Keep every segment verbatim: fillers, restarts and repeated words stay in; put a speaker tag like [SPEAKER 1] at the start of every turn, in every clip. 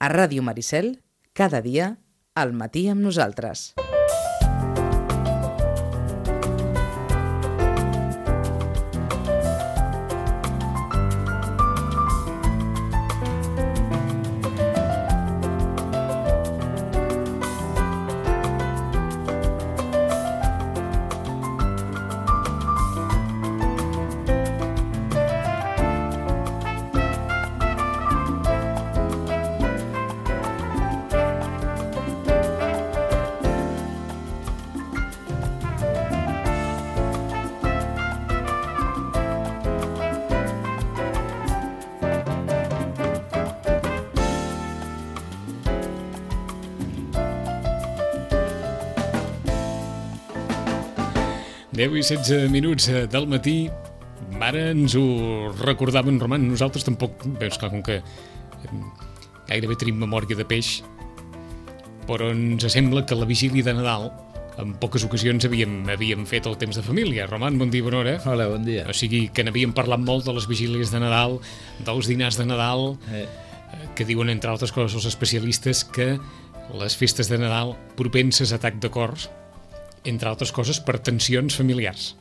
[SPEAKER 1] A Ràdio Maricel, cada dia, al matí amb nosaltres.
[SPEAKER 2] deu i setze minuts del matí. Ara ens ho recordaven, Roman. Nosaltres tampoc, veus, clar, com que gairebé tenim memòria de peix, però ens sembla que la vigília de Nadal en poques ocasions havíem, havíem fet el temps de família. Roman, bon dia, bona hora.
[SPEAKER 3] Hola, bon dia.
[SPEAKER 2] O sigui que n'havíem parlat molt de les vigílies de Nadal, dels dinars de Nadal,
[SPEAKER 3] eh.
[SPEAKER 2] que diuen, entre altres coses, els especialistes, que les festes de Nadal propenses a atac de cors, entre altres coses, per tensions familiars.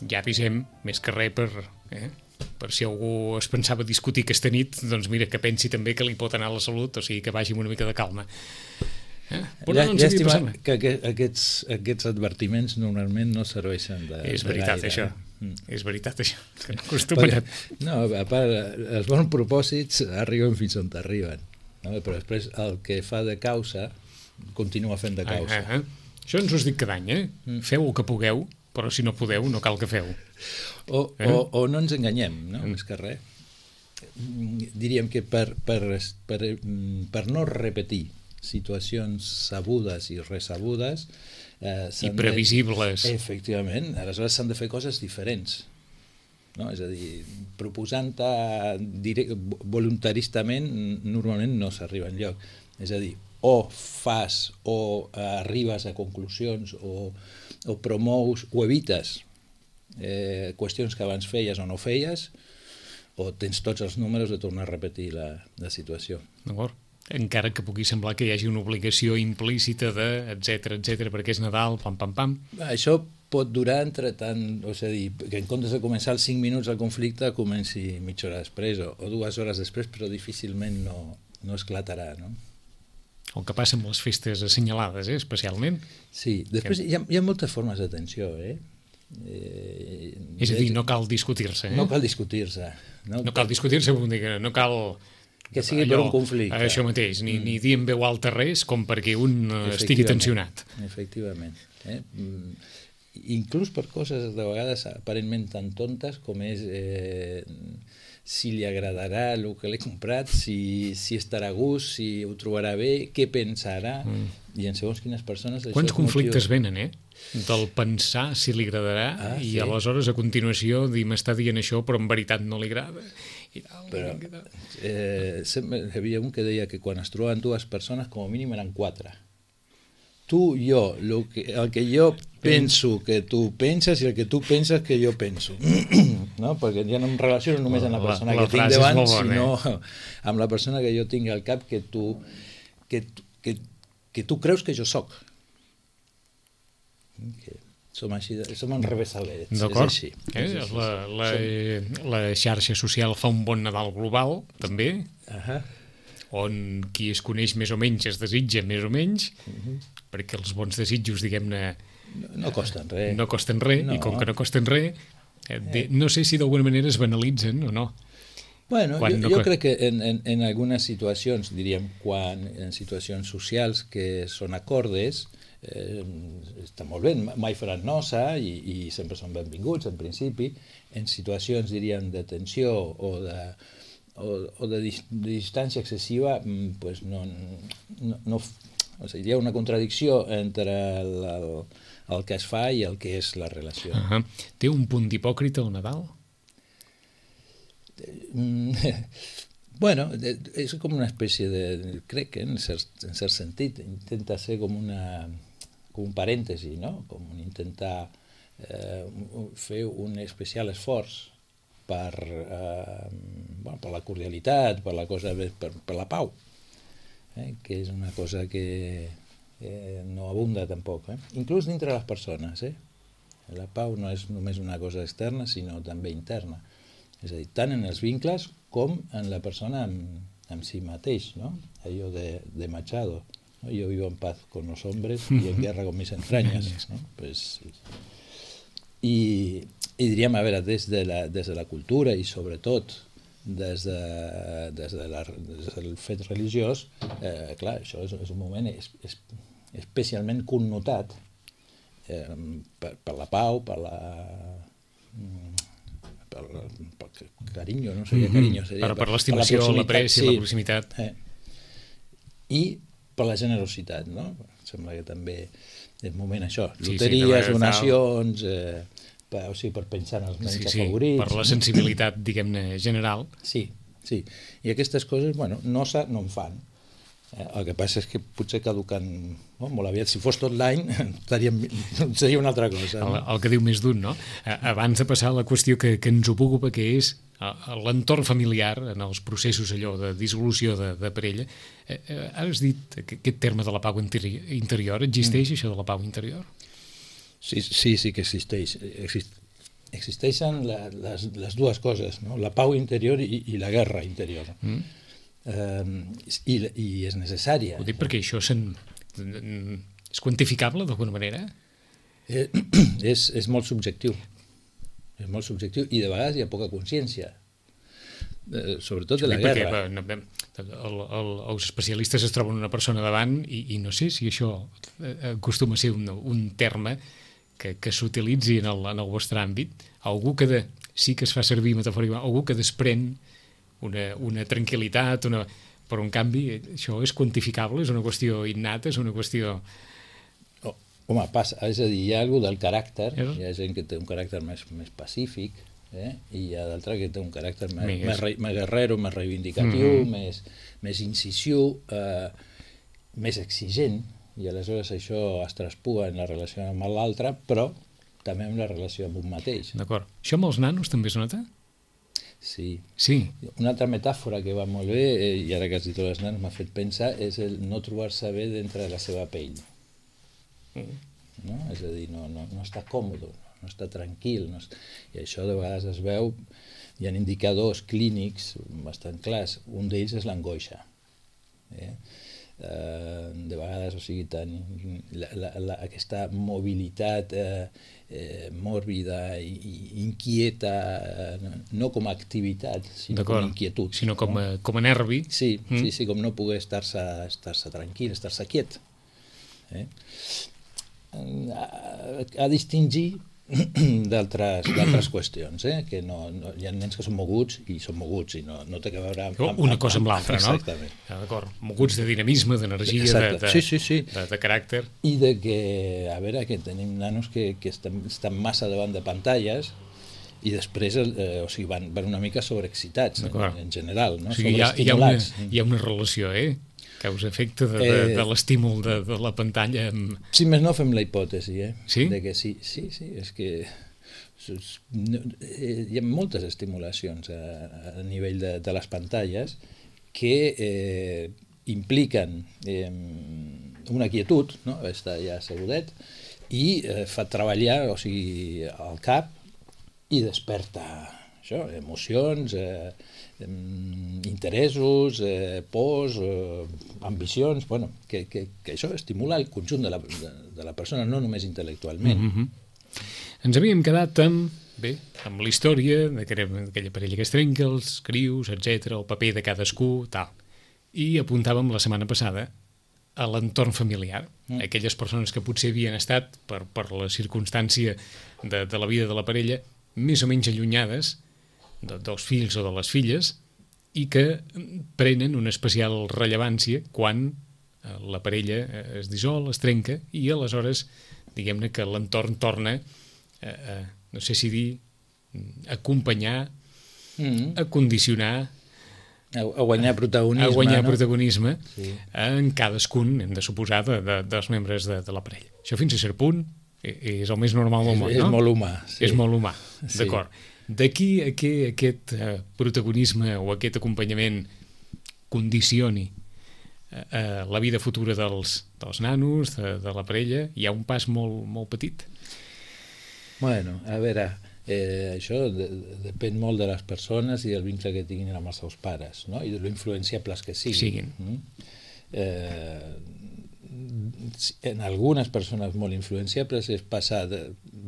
[SPEAKER 2] Ja avisem, més que res, per, eh, per si algú es pensava discutir aquesta nit, doncs mira, que pensi també que li pot anar a la salut, o sigui, que vagi amb una mica de calma. Eh?
[SPEAKER 3] Ja, no llàstima que, que aquests, aquests advertiments normalment no serveixen de,
[SPEAKER 2] és veritat,
[SPEAKER 3] de gaire.
[SPEAKER 2] Això.
[SPEAKER 3] Mm.
[SPEAKER 2] És veritat, això. Que no acostumen.
[SPEAKER 3] Perquè, no, a part, els bons propòsits arriben fins on arriben. No? Però després el que fa de causa continua fent de causa.
[SPEAKER 2] Ah, ah, ah. Això ens ho dic cada any, eh? Mm. Feu el que pugueu, però si no podeu, no cal que feu.
[SPEAKER 3] O,
[SPEAKER 2] eh?
[SPEAKER 3] o, o no ens enganyem, no? Mm. Més que res. Diríem que per, per, per, per no repetir situacions sabudes i resabudes eh,
[SPEAKER 2] i previsibles
[SPEAKER 3] de, efectivament, aleshores s'han de fer coses diferents, no? És a dir, proposant-te voluntaristament normalment no s'arriba enlloc, és a dir, o fas o arribes a conclusions o, o promous o evites eh, qüestions que abans feies o no feies, o tens tots els números de tornar a repetir la, la situació.
[SPEAKER 2] D'acord. Encara que pugui semblar que hi hagi una obligació implícita de etcètera, etcètera, perquè és Nadal, pam, pam, pam.
[SPEAKER 3] Això pot durar entre tant, o sigui, que en comptes de començar els cinc minuts el conflicte comenci mitja hora després o, o dues hores després, però difícilment no, no esclatarà, no?
[SPEAKER 2] El que passa amb les festes assenyalades, eh, especialment.
[SPEAKER 3] Sí, després hi ha, hi ha moltes formes d'atenció, eh?
[SPEAKER 2] eh és a dir, no cal discutir-se, eh?
[SPEAKER 3] No cal discutir-se.
[SPEAKER 2] No, no cal discutir-se, vull dir que no cal...
[SPEAKER 3] Que sigui allò, per un conflicte.
[SPEAKER 2] Això mateix, ni, mm. ni dir en veu alta res com perquè un estigui tensionat.
[SPEAKER 3] Efectivament. Eh? Inclús per coses de vegades aparentment tan tontes com és eh, si li agradarà el que l'he comprat, si, si estarà a gust, si ho trobarà bé, què pensarà, mm. i en segons quines persones...
[SPEAKER 2] Quants conflictes motiu... venen, eh? Del pensar si li agradarà ah, i sí. Aleshores a continuació dir m'està dient això però en veritat no li agrada. I tal,
[SPEAKER 3] però eh, sempre hi havia un que deia que quan es trobaven dues persones com a mínim eren quatre. Tu, jo, el que, el que jo penso que tu penses i el que tu penses que jo penso. No? Perquè ja no em relaciono només amb la persona la, la que tinc davant, sinó eh? amb la persona que jo tinc al cap que tu, que, que, que tu creus que jo soc. Que som així, som enrevessadets, és així.
[SPEAKER 2] Eh? És així. La, la, la xarxa social fa un bon Nadal global, també,
[SPEAKER 3] uh-huh.
[SPEAKER 2] on qui es coneix més o menys es desitja més o menys, uh-huh. perquè els bons desitjos, diguem-ne,
[SPEAKER 3] no, no costen res.
[SPEAKER 2] No costen res, no. I com que no costen res, eh, de, no sé si d'alguna manera es banalitzen o no.
[SPEAKER 3] Bueno, quan jo, no... jo crec que en, en, en algunes situacions, diríem, quan en situacions socials que són acordes, Eh, està molt bé, mai faran nosa i, i sempre són benvinguts en principi. En situacions, diríem, de tensió o de, o, o de, dis, de distància excessiva, pues no, no, no, o sigui, hi ha una contradicció entre el, el, el que es fa i el que és la relació.
[SPEAKER 2] Uh-huh. Té un punt d'hipòcrita el Nadal?
[SPEAKER 3] Bueno, és com una espècie de... crec que en cert, en cert sentit intenta ser com una... com un parèntesi, no? Com intentar eh, fer un especial esforç per, eh, bueno, per la cordialitat, per la cosa, per, per la pau, eh? que és una cosa que eh, no abunda tampoc, eh? Inclús dintre les persones. Eh? La pau no és només una cosa externa, sinó també interna. És a dir, tant en els vincles com en la persona amb, amb si mateix, no? Allò de, de Machado, ¿no? Yo vivo en paz con los hombres y en guerra con mis entrañas, ¿no? Pues, i, i diríem, a veure, des de la, des de la cultura i sobretot des, de, des, de la, des del fet religiós, eh, clar, això és, és un moment es, es, especialment connotat eh, per, per la pau, per la... per, per carinyo, no seria carinyo, seria
[SPEAKER 2] per, per l'estimació, l'apreci, sí, la proximitat.
[SPEAKER 3] Eh. I per la generositat, no? Sembla que també és moment això, loteries, sí, sí, donacions, eh, per, o sigui, per pensar en els menys sí, sí, afavorits.
[SPEAKER 2] Per la sensibilitat, diguem-ne, general.
[SPEAKER 3] Sí, sí. I aquestes coses, bueno, no, no en fan. Eh, el que passa és que potser caduquen no? molt aviat. Si fos tot l'any, seria una altra cosa. No?
[SPEAKER 2] El, el que diu més d'un, no? Abans de passar a la qüestió que, que ens ocupa, que és l'entorn familiar, en els processos allò de dissolució de, de parella, eh, eh, has dit que aquest terme de la pau interior, existeix mm. això de la pau interior?
[SPEAKER 3] Sí, sí, sí que existeix. Exist, existeixen la, les, les dues coses, no? La pau interior i, i la guerra interior. Mm. Eh, i, i és necessària.
[SPEAKER 2] Ho dic perquè això sen, és quantificable d'alguna manera?
[SPEAKER 3] Eh, és, és molt subjectiu. És molt subjectiu i de vegades hi ha poca consciència, eh, sobretot de la guerra.
[SPEAKER 2] Perquè no, el, el, els especialistes es troben una persona davant i, i no sé si això acostuma a ser un, un terme que, que s'utilitzi en, el, en el vostre àmbit, algú que de, sí que es fa servir metafòricament, algú que desprèn una, una tranquil·litat, una, però en canvi això és quantificable, és una qüestió innata, és una qüestió...
[SPEAKER 3] Home, passa, és a dir, hi ha algú del caràcter, hi ha gent que té un caràcter més, més pacífic, eh? I hi ha d'altra que té un caràcter més, més, més, més guerrero, més reivindicatiu, mm-hmm. més, més incisiu, eh, més exigent, i aleshores això es traspua en la relació amb l'altre, però també en la relació amb un mateix.
[SPEAKER 2] D'acord. Això amb els nanos també es nota?
[SPEAKER 3] Sí.
[SPEAKER 2] Sí.
[SPEAKER 3] Una altra metàfora que va molt bé, eh, i ara que has dit els nanos m'ha fet pensar, és el no trobar-se bé dintre de la seva pell. No? És a dir, no, no, no està còmode, no, no està tranquil, no està... i això de vegades es veu, hi ha indicadors clínics bastant clars, un d'ells és l'angoixa. Eh? Eh, de vegades, o sigui, tan, la, la, la, aquesta mobilitat eh, eh, mòrbida i, i inquieta, eh, no com a activitat, sinó com a inquietud.
[SPEAKER 2] Sinó com a,
[SPEAKER 3] no?
[SPEAKER 2] com a nervi.
[SPEAKER 3] Sí, mm. sí, sí, com no poder estar-se estar-se tranquil, estar-se quiet. Eh? A, a distingir d'altres qüestions, eh? Que no, no, hi ha nens que són moguts i són moguts i no, no té que veure amb, amb,
[SPEAKER 2] una cosa amb, amb l'altra, no?
[SPEAKER 3] Exactament.
[SPEAKER 2] Ja, d'acord. Moguts de dinamisme, d'energia, de, de,
[SPEAKER 3] sí, sí, sí.
[SPEAKER 2] de, de caràcter.
[SPEAKER 3] I de que, a veure, que tenim nanos que, que estan, estan massa davant de pantalles i després eh, o sigui, van, van una mica sobreexcitats en, en general, no?
[SPEAKER 2] O sigui, hi ha, hi, ha una, hi ha una relació, eh? Causa-efecte de, de, eh, de l'estímul de, de la pantalla. Amb...
[SPEAKER 3] Si més no, fem la hipòtesi, eh?
[SPEAKER 2] Sí?
[SPEAKER 3] De que sí, sí, sí, és que no, hi ha moltes estimulacions a, a nivell de, de les pantalles que eh, impliquen eh, una quietud, no? Està ja assegudet, i eh, fa treballar, o sigui, el cap i desperta això, emocions, eh, interessos, eh, pors, eh, ambicions, bueno, que, que, que això estimula el conjunt de la, de, de la persona, no només intel·lectualment.
[SPEAKER 2] Mm-hmm. Ens havíem quedat amb, bé, amb la història d'aquella parella que es trenca, els crius, etcètera, el paper de cadascú, tal. I apuntàvem la setmana passada a l'entorn familiar, mm. aquelles persones que potser havien estat, per, per la circumstància de, de la vida de la parella, més o menys allunyades de, dels fills o de les filles i que prenen una especial rellevància quan la parella es dissol, es trenca i aleshores, diguem-ne que l'entorn torna a, a, no sé si dir, a acompanyar, mm. a condicionar,
[SPEAKER 3] a, a guanyar protagonisme,
[SPEAKER 2] a guanyar
[SPEAKER 3] no?
[SPEAKER 2] protagonisme
[SPEAKER 3] sí.
[SPEAKER 2] en cadascun, hem de suposar, de, de, dels membres de, de la parella. Això fins a cert punt és el més normal del món,
[SPEAKER 3] és,
[SPEAKER 2] no?
[SPEAKER 3] És molt humà. Sí.
[SPEAKER 2] És molt humà, sí. D'acord. D'aquí a què aquest eh, protagonisme o aquest acompanyament condicioni eh, la vida futura dels, dels nanos, de, de la parella, hi ha un pas molt, molt petit?
[SPEAKER 3] Bueno, a veure, eh, això de, de, depèn molt de les persones i del vincle que tinguin amb els seus pares, no? I de lo influenciables que siguin.
[SPEAKER 2] siguin.
[SPEAKER 3] Mm? Eh, en algunes persones molt influenciables és passar de,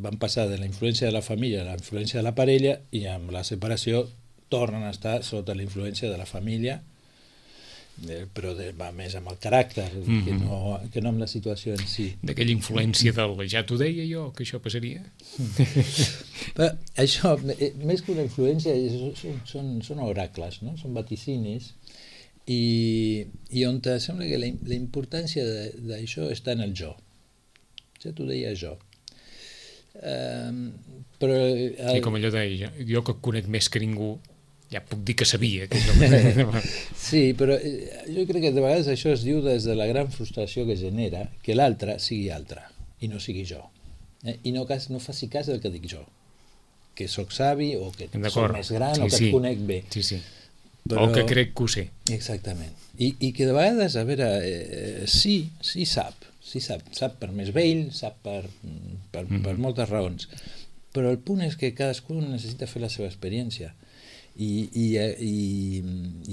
[SPEAKER 3] van passar de la influència de la família a la influència de la parella, i amb la separació tornen a estar sota la influència de la família, eh, però de, va més amb el caràcter mm-hmm. que, no, que no amb la situació en si.
[SPEAKER 2] D'aquella influència del ja t'ho deia jo que això passaria.
[SPEAKER 3] Però això, més que una influència, són, són, són oracles, no? Són vaticinis. I, i on sembla que la, la importància d'això està en el jo. Ja t'ho deia jo. Um, però el...
[SPEAKER 2] I com allò deia, jo que conec més que ningú, ja puc dir que sabia. Que jo...
[SPEAKER 3] Sí, però jo crec que de vegades això es diu des de la gran frustració que genera que l'altre sigui altre i no sigui jo. Eh? I no, cas, no faci cas del que dic jo. Que sóc savi o que soc més gran sí, o que sí. et conec bé.
[SPEAKER 2] Sí, sí. Però... o que crec que ho sé.
[SPEAKER 3] Exactament. I, i que de vegades, a veure, eh, sí, sí sap, sí sap, sap per més vell, sap per, per, mm. per moltes raons, però el punt és que cadascú necessita fer la seva experiència. I, i, i,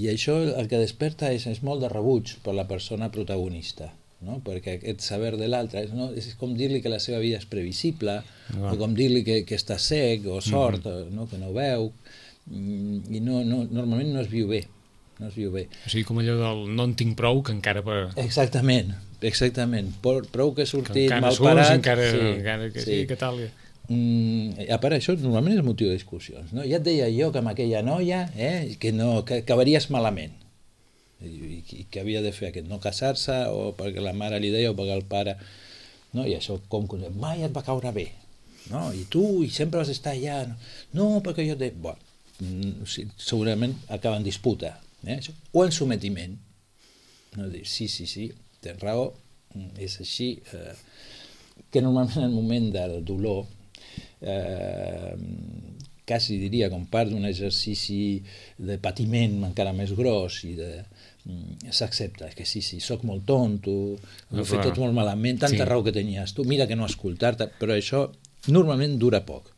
[SPEAKER 3] i això el que desperta és, és molt de rebuig per la persona protagonista, no? Perquè aquest saber de l'altre és, no? És com dir-li que la seva vida és previsible, no. O com dir-li que, que està cec o sord, mm-hmm. no? Que no veu, i no, no, normalment no es viu bé, no es viu bé.
[SPEAKER 2] O sigui, com allò del no en tinc prou, que encara... Per...
[SPEAKER 3] Exactament, exactament. Prou que he sortit
[SPEAKER 2] que
[SPEAKER 3] mal parat...
[SPEAKER 2] Encara,
[SPEAKER 3] sí,
[SPEAKER 2] encara que
[SPEAKER 3] sí,
[SPEAKER 2] sí, que tal...
[SPEAKER 3] Mm, a part, això normalment és motiu de discussions, no? Ja et deia jo que amb aquella noia eh, que, no, que acabaries malament i, i que havia de fer aquest, no casar-se, o perquè la mare li deia o perquè el pare, no? I això com que mai et va caure bé, no? I tu i sempre vas estar allà, no, no perquè jo et... Bueno, segurament acaba en disputa, eh? O en sometiment, no? Dir, sí, sí, sí, tens raó, és així, eh, que normalment en el moment del dolor eh, quasi diria com part d'un exercici de patiment encara més gros i de s'accepta, que sí, sí, soc molt tonto, ho he fet tot molt malament, tanta sí. raó que tenies tu, mira que no escoltar-te, però això normalment dura poc.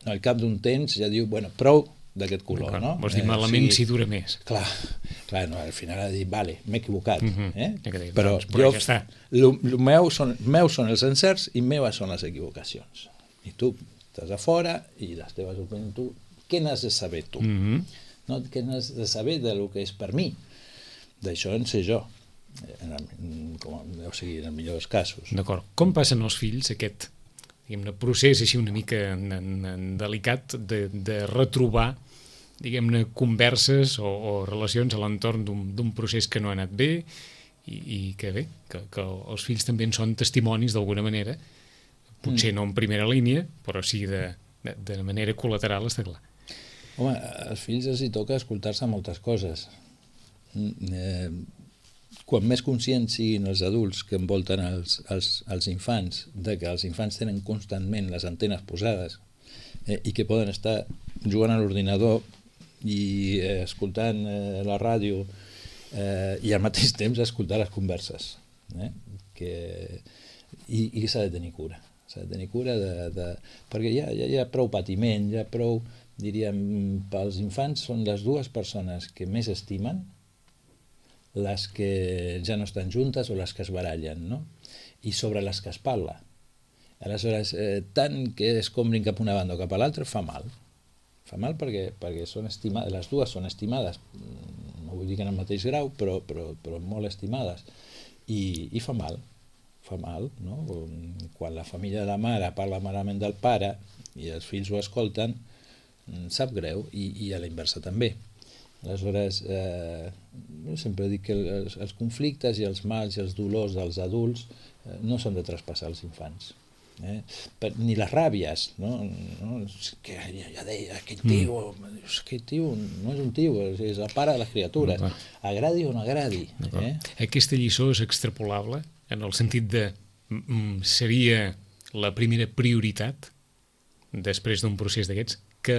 [SPEAKER 3] Al cap d'un temps ja diu, bueno, prou d'aquest color, no?
[SPEAKER 2] Vols dir malament eh, si, si dura més.
[SPEAKER 3] Clar, clar, no, al final ha de dir, vale, m'he equivocat, uh-huh. eh?
[SPEAKER 2] dir,
[SPEAKER 3] però,
[SPEAKER 2] doncs, però
[SPEAKER 3] jo,
[SPEAKER 2] ja
[SPEAKER 3] lo, lo meu, són, meus són els encerts i meves són les equivocacions. I tu estàs a fora i les teves opinions, tu, què n'has de saber tu? Uh-huh. No? Què n'has de saber del que és per mi? D'això en sé jo, en el, com, o sigui, en el millor dels casos.
[SPEAKER 2] D'acord. Com passen els fills aquest diguem-ne, procés així una mica en, en, en delicat de, de retrobar diguem-ne, converses o, o relacions a l'entorn d'un procés que no ha anat bé i, i que bé, que, que els fills també en són testimonis d'alguna manera, potser mm. no en primera línia, però sí de, de, de manera col·lateral, està clar.
[SPEAKER 3] Home, als fills els hi toca escoltar-se moltes coses. Eh, quan més conscients siguin els adults que envolten els, els, els infants, de que els infants tenen constantment les antenes posades eh, i que poden estar jugant a l'ordinador i eh, escoltant eh, la ràdio eh, i al mateix temps escoltar les converses, eh, que, i, i s'ha de tenir cura, s'ha de tenir cura de, de, perquè hi ha, hi ha prou patiment, hi ha prou, diríem, pels infants són les dues persones que més estimen, les que ja no estan juntes o les que es barallen, no? I sobre les que es parla. Aleshores, eh, tant que es combrin cap a una banda o cap a l'altra fa mal. Fa mal perquè, perquè són estimades, les dues són estimades, no vull dir que en el mateix grau, però, però, però molt estimades. I, i fa mal, fa mal, no? Quan la família de la mare parla malament del pare i els fills ho escolten, sap greu, i, i a la inversa també. Aleshores, eh, jo sempre dic que els, els conflictes i els mals i els dolors dels adults eh, no s'han de traspassar als infants. Eh? Per, ni les ràbies, no? No? Que ja, ja deia, aquell tio, mm. aquell tio no és un tio, és, és el pare de les criatures. Agradi o no agradi. Eh?
[SPEAKER 2] Aquesta lliçó és extrapolable en el sentit de mm, seria la primera prioritat després d'un procés d'aquests que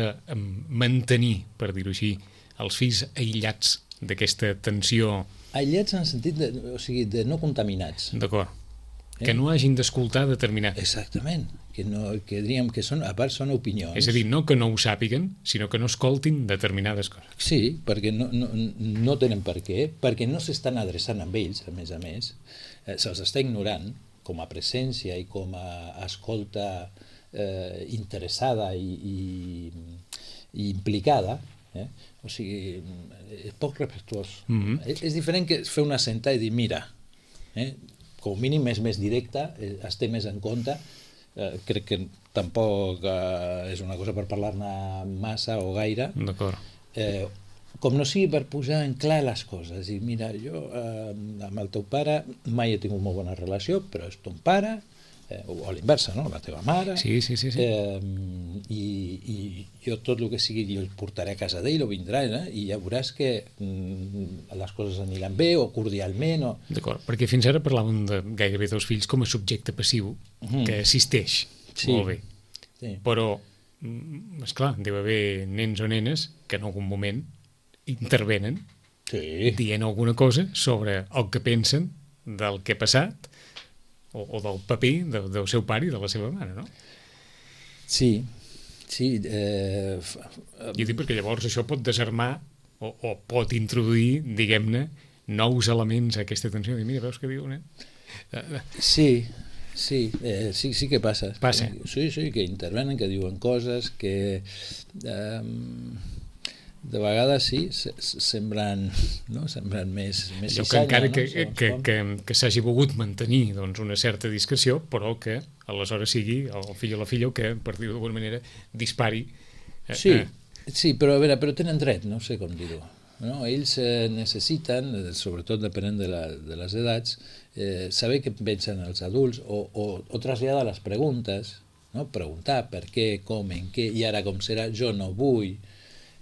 [SPEAKER 2] mantenir, per dir-ho així, els fills aïllats d'aquesta tensió...
[SPEAKER 3] Aïllats en el sentit de, o sigui, de no contaminats.
[SPEAKER 2] D'acord. Eh? Que no hagin d'escoltar determinat...
[SPEAKER 3] Exactament. Que, no, que diríem que són, a part són opinions.
[SPEAKER 2] És a dir, no que no ho sàpiguen, sinó que no escoltin determinades coses.
[SPEAKER 3] Sí, perquè no, no, no tenen per què, perquè no s'estan adreçant amb ells, a més a més, eh, se'ls està ignorant com a presència i com a escolta eh, interessada i, i, i implicada, eh? O sigui, és poc respectuós. Mm-hmm. és, és diferent que fer una sentada i dir, mira, eh? com a mínim és més directe, eh, es té més en compte. Eh, crec que tampoc eh, és una cosa per parlar-ne massa o gaire.
[SPEAKER 2] D'acord.
[SPEAKER 3] Eh, com no sigui per posar en clar les coses. I mira, jo eh, amb el teu pare mai he tingut molt bona relació, però és ton pare, eh, o a l'inversa, no? La teva mare.
[SPEAKER 2] Sí, sí, sí. sí.
[SPEAKER 3] Eh, i, I jo tot el que sigui jo el portaré a casa d'ell o vindrà, eh? I ja veuràs que mm, les coses aniran bé o cordialment. O...
[SPEAKER 2] D'acord, perquè fins ara parlàvem de gairebé dels fills com a subjecte passiu mm. que assisteix. Sí. Molt bé. Sí. Però, esclar, deu haver nens o nenes que en algun moment intervenen sí. dient alguna cosa sobre el que pensen del que ha passat o, o del paper de, del seu pare i de la seva mare, no?
[SPEAKER 3] Sí, sí. Eh...
[SPEAKER 2] Jo dic perquè llavors això pot desarmar o, o pot introduir, diguem-ne, nous elements a aquesta tensió. I mira, veus què diu, nen?
[SPEAKER 3] Sí, sí, eh, sí, sí que passa.
[SPEAKER 2] Passa.
[SPEAKER 3] Sí, sí, que intervenen, que diuen coses, que... Eh, de vegades sí, semblen, no? semblen més, més
[SPEAKER 2] allò que encara no? que, que, que, que, que s'hagi volgut mantenir doncs, una certa discreció, però que aleshores sigui el fill o la filla que, per dir-ho d'alguna manera, dispari. Eh,
[SPEAKER 3] sí,
[SPEAKER 2] eh.
[SPEAKER 3] sí, però a veure, però tenen dret, no sé com dir-ho. No? Ells eh, necessiten, sobretot depenent de, la, de les edats, eh, saber què pensen els adults o, o, o traslladar les preguntes, no? Preguntar per què, com, en què, i ara com serà, jo no vull...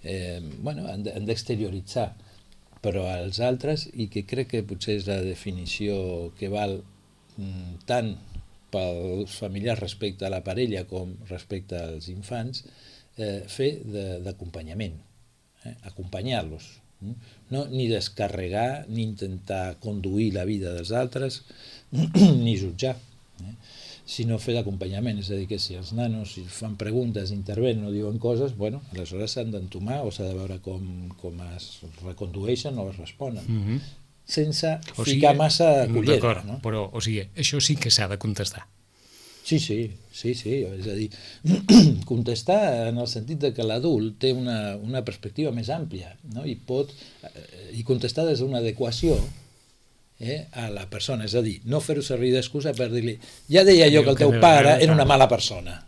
[SPEAKER 3] Eh, bueno, han d'exterioritzar, però als altres, i que crec que potser és la definició que val mm, tant pels familiars respecte a la parella com respecte als infants, eh, fer d'acompanyament, eh, acompanyar-los, no? Ni descarregar, ni intentar conduir la vida dels altres, ni jutjar, eh? sinó fer d'acompanyament, és a dir, que si els nanos si fan preguntes, intervenen o diuen coses, bueno, aleshores s'han d'entomar o s'ha de veure com, com es recondueixen o es responen, mm-hmm. sense o sigui, ficar massa cullera. No?
[SPEAKER 2] Però, o sigui, això sí que s'ha de contestar.
[SPEAKER 3] Sí, sí, sí, sí, és a dir, contestar en el sentit de que l'adult té una, una perspectiva més àmplia, no? I pot, i contestar des d'una adequació Eh, a la persona, és a dir, no fer-ho servir d'excusa per dir-li, ja deia jo que el teu pare era una mala persona,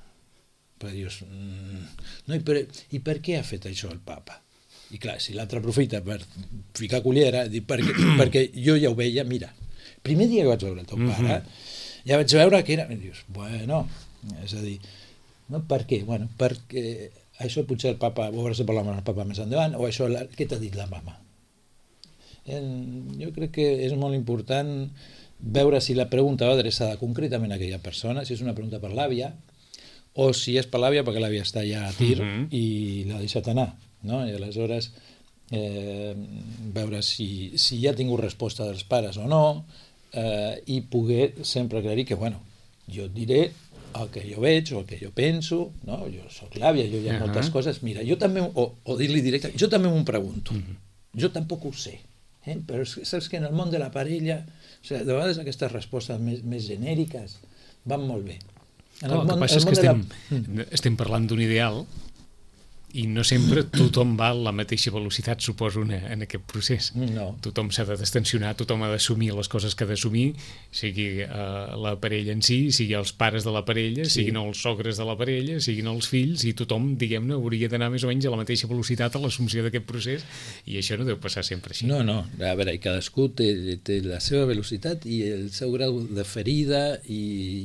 [SPEAKER 3] però dius mm, no, i, per, i per què ha fet això el papa? I clar, si l'altre aprofita per ficar cullera, dir, perquè, perquè jo ja ho veia, mira, primer dia que vaig veure el teu pare ja vaig veure que era, i dius, bueno, és a dir, no, per què? Bueno, perquè això potser el papa, ho hauràs de parlar amb el papa més endavant, o això, la, què t'ha dit la mama? En, jo crec que és molt important veure si la pregunta va adreçada concretament a aquella persona, si és una pregunta per l'àvia o si és per l'àvia perquè l'àvia està ja a tir uh-huh. i l'ha deixat anar, no? I aleshores eh, veure si, si ja ha tingut resposta dels pares o no, eh, i poder sempre aclarir que, bueno, jo et diré el que jo veig o el que jo penso, no? Jo soc l'àvia, jo hi ha uh-huh. moltes coses, mira, jo també, o, o dir-li directe, jo també m'ho pregunto, uh-huh. jo tampoc ho sé. Eh? Però saps que en el món de la parella, o sigui, de vegades aquestes respostes més, més genèriques van molt bé. En
[SPEAKER 2] el, el món, que passa el és que estem, la... estem parlant d'un ideal i no sempre tothom va a la mateixa velocitat, suposo, en aquest procés.
[SPEAKER 3] No.
[SPEAKER 2] Tothom s'ha de destensionar, tothom ha d'assumir les coses que ha d'assumir, sigui uh, la parella en si, sigui els pares de la parella, sí. siguin els sogres de la parella, siguin els fills, i tothom, diguem-ne, hauria d'anar més o menys a la mateixa velocitat a l'assumpció d'aquest procés, i això no deu passar sempre així.
[SPEAKER 3] No, no, a veure, cadascú té, té la seva velocitat i el seu grau de ferida i,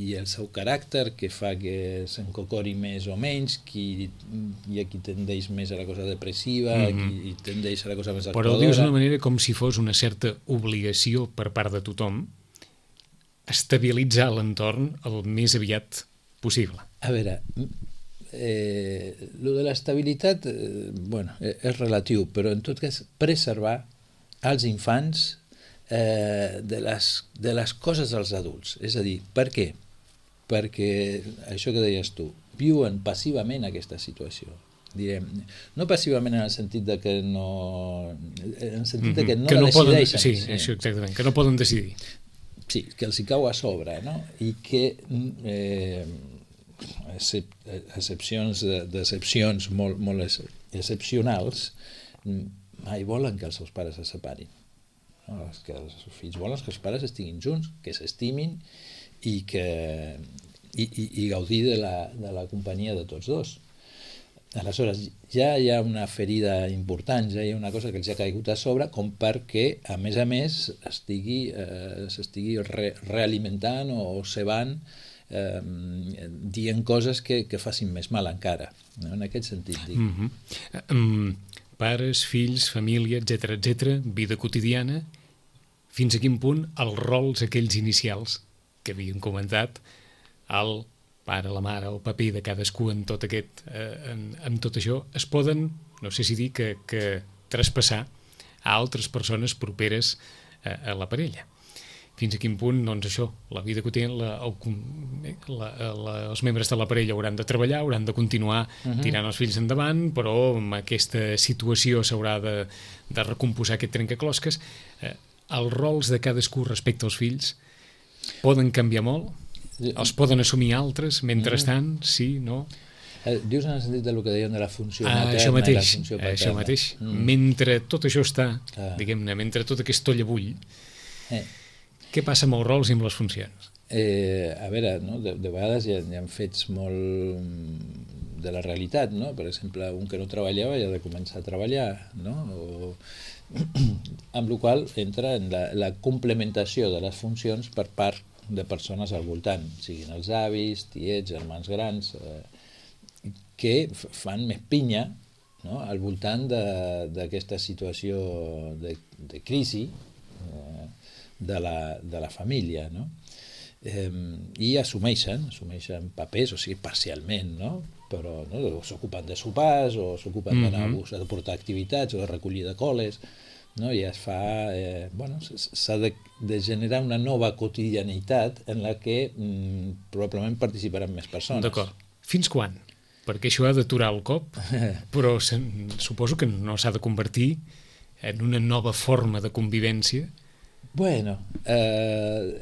[SPEAKER 3] i el seu caràcter que fa que s'encocori més o menys, qui, hi ha qui tendeix més a la cosa depressiva, mm-hmm. qui tendeix a la cosa més actuadora.
[SPEAKER 2] Però ho dius d'una manera com si fos una certa obligació per part de tothom estabilitzar l'entorn el més aviat possible.
[SPEAKER 3] A veure, eh, lo de l'estabilitat eh, bueno, és relatiu, però en tot cas preservar als infants eh, de, les, de les coses dels adults. És a dir, per què? Perquè, això que deies tu, viuen passivament aquesta situació. Direm, no passivament en el sentit de que no... en el sentit de que no
[SPEAKER 2] que
[SPEAKER 3] la
[SPEAKER 2] no
[SPEAKER 3] decideixen.
[SPEAKER 2] Poden, sí, sí, això exactament, que no poden decidir.
[SPEAKER 3] Sí, que els hi cau a sobre, no? I que eh, excepcions, decepcions molt, molt excepcionals mai volen que els seus pares se separin. No? Que els fills volen que els pares estiguin junts, que s'estimin i, que, i, i, i gaudir de la, de la companyia de tots dos. Aleshores, ja hi ha una ferida important, ja hi ha una cosa que els ha caigut a sobre, com perquè, a més a més, estigui, eh, s'estigui re, realimentant o cebant eh, dient coses que, que facin més mal encara. No? En aquest sentit, dic.
[SPEAKER 2] Mm-hmm. um, pares, fills, família, etcètera, etcètera, vida quotidiana, fins a quin punt els rols aquells inicials que havien comentat, el pare, la mare, el paper de cadascú en tot aquest, eh, en, en tot això, es poden, no sé si dir que, que traspassar a altres persones properes a, a la parella. Fins a quin punt, doncs això, la vida quotidiana, la, el, la, la, els membres de la parella hauran de treballar, hauran de continuar uh-huh. tirant els fills endavant, però amb aquesta situació s'haurà de, de recomposar aquest trencaclosques. Eh, els rols de cadascú respecte als fills poden canviar molt? Els poden assumir altres, mentrestant, mm. sí, no?
[SPEAKER 3] Eh, dius en el sentit del que deien de la funció
[SPEAKER 2] ah,
[SPEAKER 3] materna
[SPEAKER 2] això mateix,
[SPEAKER 3] i la funció paterna.
[SPEAKER 2] Això mateix. Mm. Mentre tot això està, ah. diguem-ne, mentre tot aquest tollabull, eh. què passa amb els rols i amb les funcions?
[SPEAKER 3] Eh, a veure, no? de, de vegades hi ha, hi ha fets molt de la realitat, no? Per exemple, un que no treballava ja ha de començar a treballar, no? O... amb la qual cosa entra en la, la complementació de les funcions per part de persones al voltant, siguin els avis, tiets, germans grans, eh, que fan més pinya, no? Al voltant d'aquesta situació de, de crisi eh, de, la, de la família, no? Eh, i assumeixen, assumeixen papers, o sigui, parcialment, no? Però no? S'ocupen de sopars, o s'ocupen mm-hmm. d'anar a bus, de portar activitats, o de recollir de coles, no? I es fa, eh, bueno, s'ha de, de generar una nova quotidianitat en la que mm, probablement participaran més persones.
[SPEAKER 2] D'acord. Fins quan? Perquè això ha d'aturar el cop, però se, suposo que no s'ha de convertir en una nova forma de convivència.
[SPEAKER 3] Bueno, eh,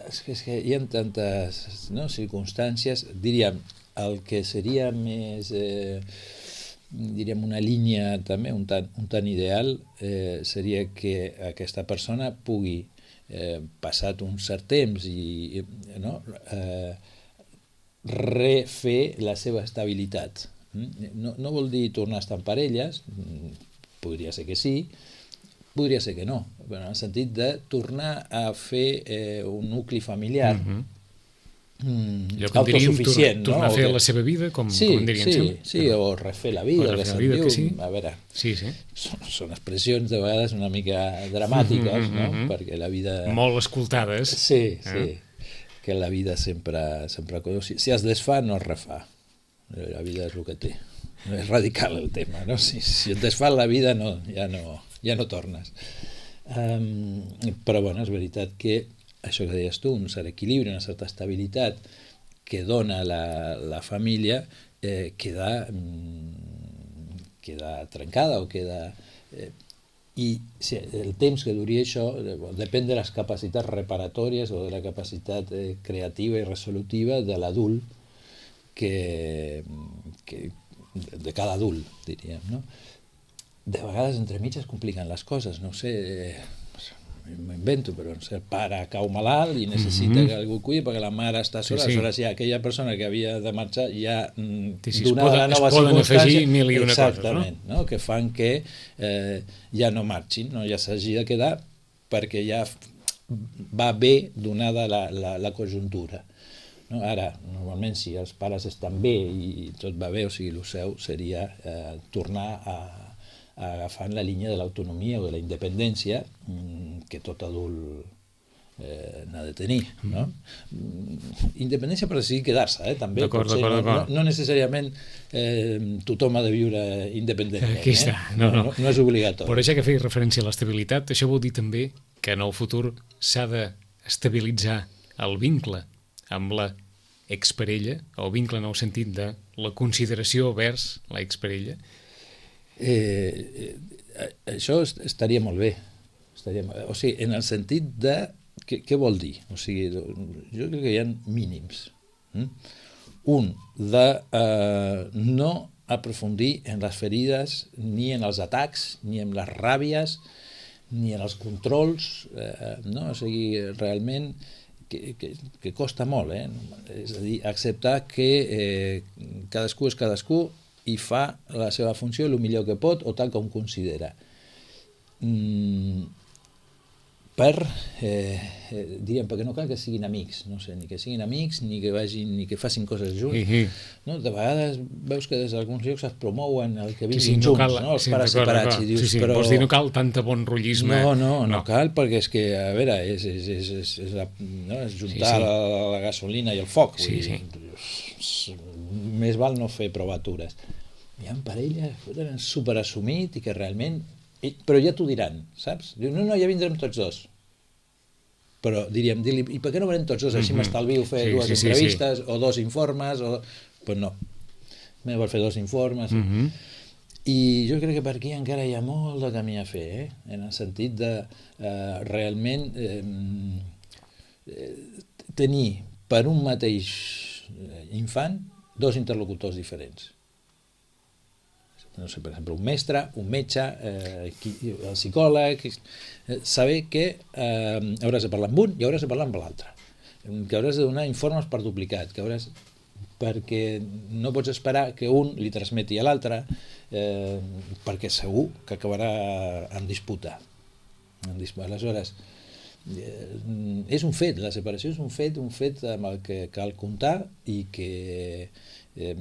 [SPEAKER 3] és, que, és que hi ha tantes no, circumstàncies, diríem, el que seria més... Eh, diríem una línia també un tant, un tant ideal eh, seria que aquesta persona pugui eh, passat un cert temps i no, eh, refer la seva estabilitat. No, no vol dir tornar a estar en parelles, podria ser que sí, podria ser que no, però en el sentit de tornar a fer eh, un nucli familiar mm-hmm. Mm, autosuficient,
[SPEAKER 2] diríem, tornar
[SPEAKER 3] no?
[SPEAKER 2] a fer
[SPEAKER 3] que...
[SPEAKER 2] la seva vida, com,
[SPEAKER 3] sí,
[SPEAKER 2] com en dirien
[SPEAKER 3] sí,
[SPEAKER 2] sempre.
[SPEAKER 3] Sí, o refer la vida, que se'n diu.
[SPEAKER 2] Sí.
[SPEAKER 3] A veure,
[SPEAKER 2] sí, sí.
[SPEAKER 3] Són, són expressions de vegades una mica dramàtiques, mm-hmm, no? Mm-hmm. Perquè la vida...
[SPEAKER 2] Molt escoltades.
[SPEAKER 3] Sí, sí. Eh? Que la vida sempre... sempre... Si, si es desfà, no es refà. La vida és el que té. És radical el tema, no? Si, si et desfà la vida, no, ja, no, ja no tornes. Um, però, bueno, és veritat que això que deies tu, un cert equilibri, una certa estabilitat que dona la, la família eh, queda, mm, queda trencada o queda... Eh, I sí, el temps que duri això eh, depèn de les capacitats reparatòries o de la capacitat eh, creativa i resolutiva de l'adult que, que de cada adult, diríem, no? De vegades entre mig es compliquen les coses, no ho sé... Eh, m'ho invento, però no sé, el pare cau malalt i necessita mm-hmm. que algú cuidi perquè la mare està sola, sí, sí. Aleshores ja aquella persona que havia de marxar ja mm,
[SPEAKER 2] sí, sí,
[SPEAKER 3] donada la nova
[SPEAKER 2] es poden afegir mil i una
[SPEAKER 3] exactament,
[SPEAKER 2] coses, no?
[SPEAKER 3] No? Que fan que eh, ja no marxin, no? Ja s'hagi de quedar perquè ja va bé donada la, la, la conjuntura. No? Ara, normalment, si els pares estan bé i tot va bé, o sigui, el seu seria eh, tornar a agafant la línia de l'autonomia o de la independència que tot adult eh, n'ha de tenir, no? Independència per decidir quedar-se, eh, també.
[SPEAKER 2] D'acord, d'acord, d'acord.
[SPEAKER 3] No, no necessàriament eh, tothom ha de viure independentment.
[SPEAKER 2] Aquí està,
[SPEAKER 3] eh?
[SPEAKER 2] no, no.
[SPEAKER 3] no, no és obligatori.
[SPEAKER 2] Però ja que feia referència a l'estabilitat, això vol dir també que en el futur s'ha d'estabilitzar el vincle amb la exparella, o vincle en el sentit de la consideració vers la exparella.
[SPEAKER 3] Eh, eh, això estaria molt bé. Estaria molt bé. O sigui, en el sentit de Què, què vol dir? O sigui, jo crec que hi ha mínims. Mm? Un, de eh, no aprofundir en les ferides, ni en els atacs, ni en les ràbies, ni en els controls, eh, no? O sigui, realment que, que, que costa molt, eh? És a dir, acceptar que eh, cadascú és cadascú i fa la seva funció el millor que pot o tal com considera. Mm, per, eh, eh, diríem, perquè no cal que siguin amics, no sé, ni que siguin amics, ni que vagin, ni que facin coses junts.
[SPEAKER 2] Uh-huh.
[SPEAKER 3] No? De vegades veus que des d'alguns llocs es promouen el que vinguin
[SPEAKER 2] sí, sí, no
[SPEAKER 3] junts,
[SPEAKER 2] cal,
[SPEAKER 3] no? Els
[SPEAKER 2] sí,
[SPEAKER 3] pares separats. I dius,
[SPEAKER 2] sí, sí,
[SPEAKER 3] però...
[SPEAKER 2] vols dir, no cal tanta bon rotllisme.
[SPEAKER 3] No, no, no, no cal, perquè és que, a veure, és, és, és, és, és, la, no? és juntar sí, sí. La, la gasolina i el foc.
[SPEAKER 2] Sí,
[SPEAKER 3] sí. Dir, més val no fer provatures. Hi ha parelles que tenen superassumit i que realment... I, però ja t'ho diran, saps? Diu, no, no, ja vindrem tots dos. Però diríem, dir-li, i per què no venim tots dos? Així m'estalvio fer
[SPEAKER 2] sí,
[SPEAKER 3] dues
[SPEAKER 2] sí,
[SPEAKER 3] entrevistes
[SPEAKER 2] sí, sí.
[SPEAKER 3] o dos informes. O... Pues no, me vol fer dos informes.
[SPEAKER 2] Uh-huh.
[SPEAKER 3] I jo crec que per aquí encara hi ha molt de camí a fer, eh? En el sentit de eh, realment eh, eh, tenir per un mateix infant dos interlocutors diferents. No sé, per exemple, un mestre, un metge, eh, el psicòleg, eh, saber que eh, hauràs de parlar amb un i hauràs de parlar amb l'altre, que hauràs de donar informes per duplicat, que hauràs, perquè no pots esperar que un li transmeti a l'altre, eh, perquè segur que acabarà en disputa. En disputa. Aleshores, eh, és un fet, la separació és un fet, un fet amb el que cal comptar i que Eh,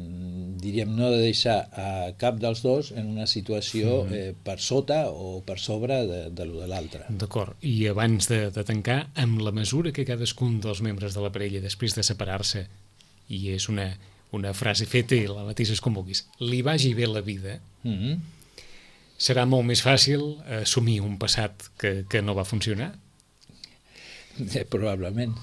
[SPEAKER 3] diríem, no ha de deixar a cap dels dos en una situació eh, per sota o per sobre de, de lo de l'altre.
[SPEAKER 2] D'acord, i abans de, de tancar, amb la mesura que cadascun dels membres de la parella, després de separar-se, i és una, una frase feta i la mateixes com vulguis, li vagi bé la vida, mm-hmm. serà molt més fàcil assumir un passat que, que no va funcionar?
[SPEAKER 3] Eh, probablement.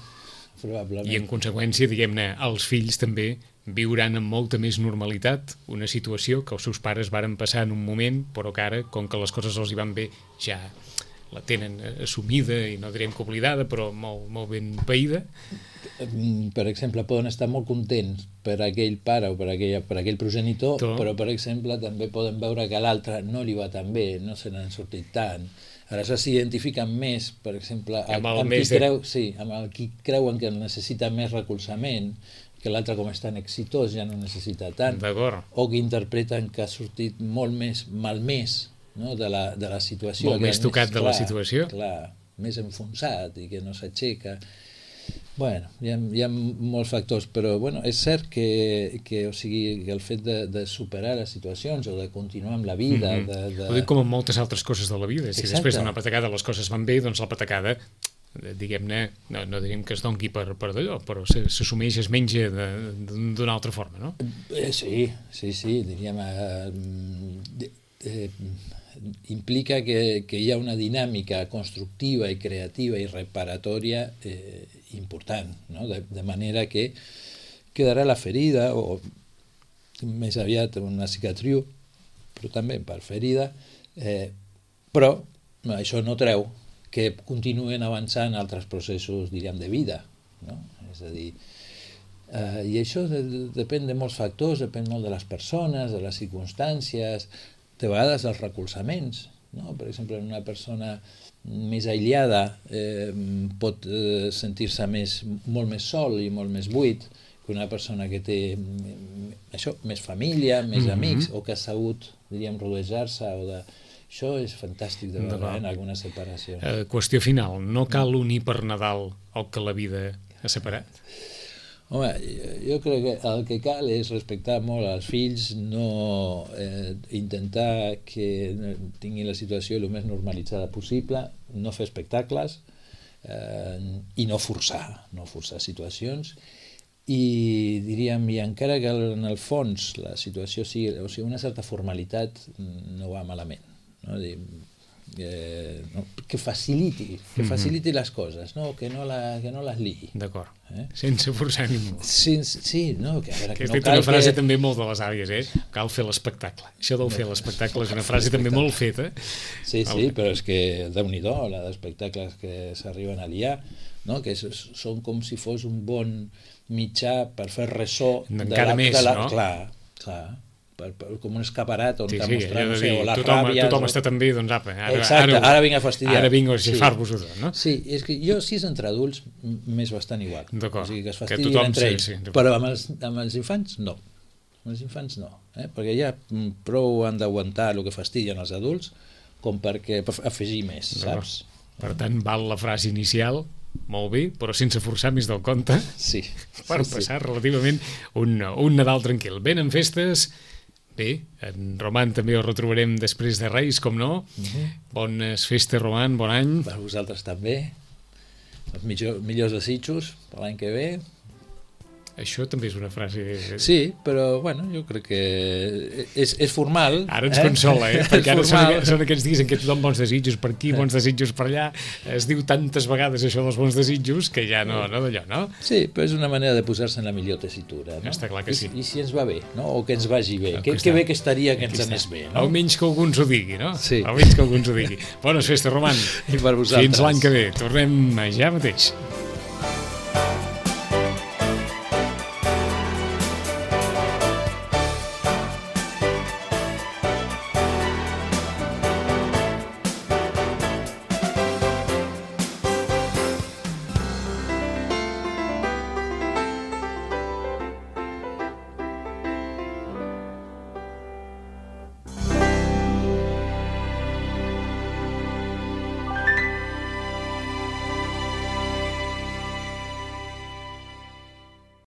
[SPEAKER 3] Probablement.
[SPEAKER 2] I en conseqüència, diguem-ne, els fills també viuran amb molta més normalitat una situació que els seus pares varen passar en un moment, però que ara, com que les coses els hi van bé, ja la tenen assumida i no direm que oblidada, però molt, molt ben païda.
[SPEAKER 3] Per exemple, poden estar molt contents per aquell pare o per, aquella, per aquell progenitor, Tot. Però, per exemple, també poden veure que l'altre no li va tan bé, no se n'han sortit tant. Aleshores s'identifiquen més, per exemple, amb, amb, qui de... creu, sí, amb el qui creuen que necessita més recolzament, que l'altre, com és tan exitós, ja no necessita tant, o que interpreten que ha sortit molt més malmès, no? de, la, de la situació.
[SPEAKER 2] Molt més tocat de
[SPEAKER 3] clar,
[SPEAKER 2] la situació.
[SPEAKER 3] Clar, més enfonsat i que no s'aixeca. Bueno, hi ha, hi ha molts factors, però bueno, és cert que, que, o sigui, que el fet de, de superar les situacions o de continuar amb la vida... Mm-hmm. de, de...
[SPEAKER 2] Ho dic com en moltes altres coses de la vida. Si Exacte. Després d'una patacada les coses van bé, doncs la patacada, diguem-ne, no, no diríem que es dongui per, per d'allò, però s'assumeix, es menja d'una altra forma, no?
[SPEAKER 3] Eh, sí, sí, sí, diríem... Eh, eh, implica que, que hi ha una dinàmica constructiva i creativa i reparatòria eh, important, no? de, de manera que quedarà la ferida o més aviat una cicatriu, però també per ferida, eh, però això no treu que continuen avançant altres processos, diríem, de vida, no? És a dir, eh, i això de, de, depèn de molts factors, depèn molt de les persones, de les circumstàncies, de vegades els recolzaments, no? Per exemple, una persona més aïllada eh, pot eh, sentir-se més, molt més sol i molt més buit que una persona que té això, més família, més mm-hmm. amics, o que ha sabut, diríem, rodejar-se o de... Això és fantàstic de veure en alguna separació.
[SPEAKER 2] Eh, qüestió final, no cal unir per Nadal el que la vida ha separat?
[SPEAKER 3] Home, jo crec que el que cal és respectar molt als fills, no eh, intentar que tinguin la situació el més normalitzada possible, no fer espectacles, eh, i no forçar, no forçar situacions. I diríem, i encara que en el fons la situació sigui, o sigui, una certa formalitat no va malament, no? Dir, eh, no? que faciliti, que faciliti les coses, no? Que, no la, que no les liï.
[SPEAKER 2] D'acord, eh? Sense forçar ningú.
[SPEAKER 3] Sí, sí, no, que a veure,
[SPEAKER 2] que
[SPEAKER 3] no
[SPEAKER 2] cal una frase
[SPEAKER 3] que...
[SPEAKER 2] també molt de les àvies, eh? Cal fer l'espectacle. Això del fer l'espectacle és una frase també molt feta.
[SPEAKER 3] Sí, sí, però és que Déu-n'hi-do, la d'espectacles que s'arriben a liar, no? Que són com si fos un bon mitjà per fer ressò
[SPEAKER 2] encara més,
[SPEAKER 3] de la,
[SPEAKER 2] no?
[SPEAKER 3] Clar, clar, per, per, com un escaparat on
[SPEAKER 2] sí,
[SPEAKER 3] t'ha
[SPEAKER 2] sí,
[SPEAKER 3] mostrat, no
[SPEAKER 2] de
[SPEAKER 3] sé,
[SPEAKER 2] dir,
[SPEAKER 3] o les
[SPEAKER 2] tothom,
[SPEAKER 3] ràbies...
[SPEAKER 2] Tothom està tan bé, doncs apa, ara,
[SPEAKER 3] exacte, ara, ara vinc a fastidiar.
[SPEAKER 2] Ara vinc a xifar-vos-ho tot, no?
[SPEAKER 3] Sí, és que jo, si és entre adults, m'és bastant igual.
[SPEAKER 2] D'acord.
[SPEAKER 3] O sigui, que es
[SPEAKER 2] Que
[SPEAKER 3] fastidien
[SPEAKER 2] tothom,
[SPEAKER 3] entre
[SPEAKER 2] sí,
[SPEAKER 3] ells.
[SPEAKER 2] sí.
[SPEAKER 3] Però amb els, amb els infants, no. Amb els infants, no. Eh? Perquè ja prou han d'aguantar el que fastidien els adults com perquè per afegir més, saps?
[SPEAKER 2] Per tant, val la frase inicial, molt bé, però sense forçar més del compte,
[SPEAKER 3] sí,
[SPEAKER 2] per
[SPEAKER 3] sí,
[SPEAKER 2] passar
[SPEAKER 3] sí.
[SPEAKER 2] relativament un, un Nadal tranquil. Ben en festes, bé, en Roman també el retrobarem després de Reis, com no. Uh-huh. Bones festes, Roman, bon any.
[SPEAKER 3] Per vosaltres també. Els millor, millors desitjos per l'any que ve.
[SPEAKER 2] Això també és una frase...
[SPEAKER 3] Sí, però, bueno, jo crec que és, és formal.
[SPEAKER 2] Ara ens
[SPEAKER 3] eh?
[SPEAKER 2] consola, eh? Perquè ara són, són aquests dies en què tothom bons desitjos per aquí, bons desitjos per allà. Es diu tantes vegades això dels bons desitjos que ja no, no d'allò, no?
[SPEAKER 3] Sí, però és una manera de posar-se en la millor tessitura, no?
[SPEAKER 2] Està clar que sí.
[SPEAKER 3] I, i si ens va bé, no? O que ens vagi bé. Que,
[SPEAKER 2] que
[SPEAKER 3] que bé que estaria que ens anés bé, no?
[SPEAKER 2] Almenys que algú ens ho digui, no?
[SPEAKER 3] Sí.
[SPEAKER 2] Almenys que algú ens ho digui. Bones festes, Roman.
[SPEAKER 3] I per vosaltres.
[SPEAKER 2] Fins l'any que ve. Tornem ja mateix.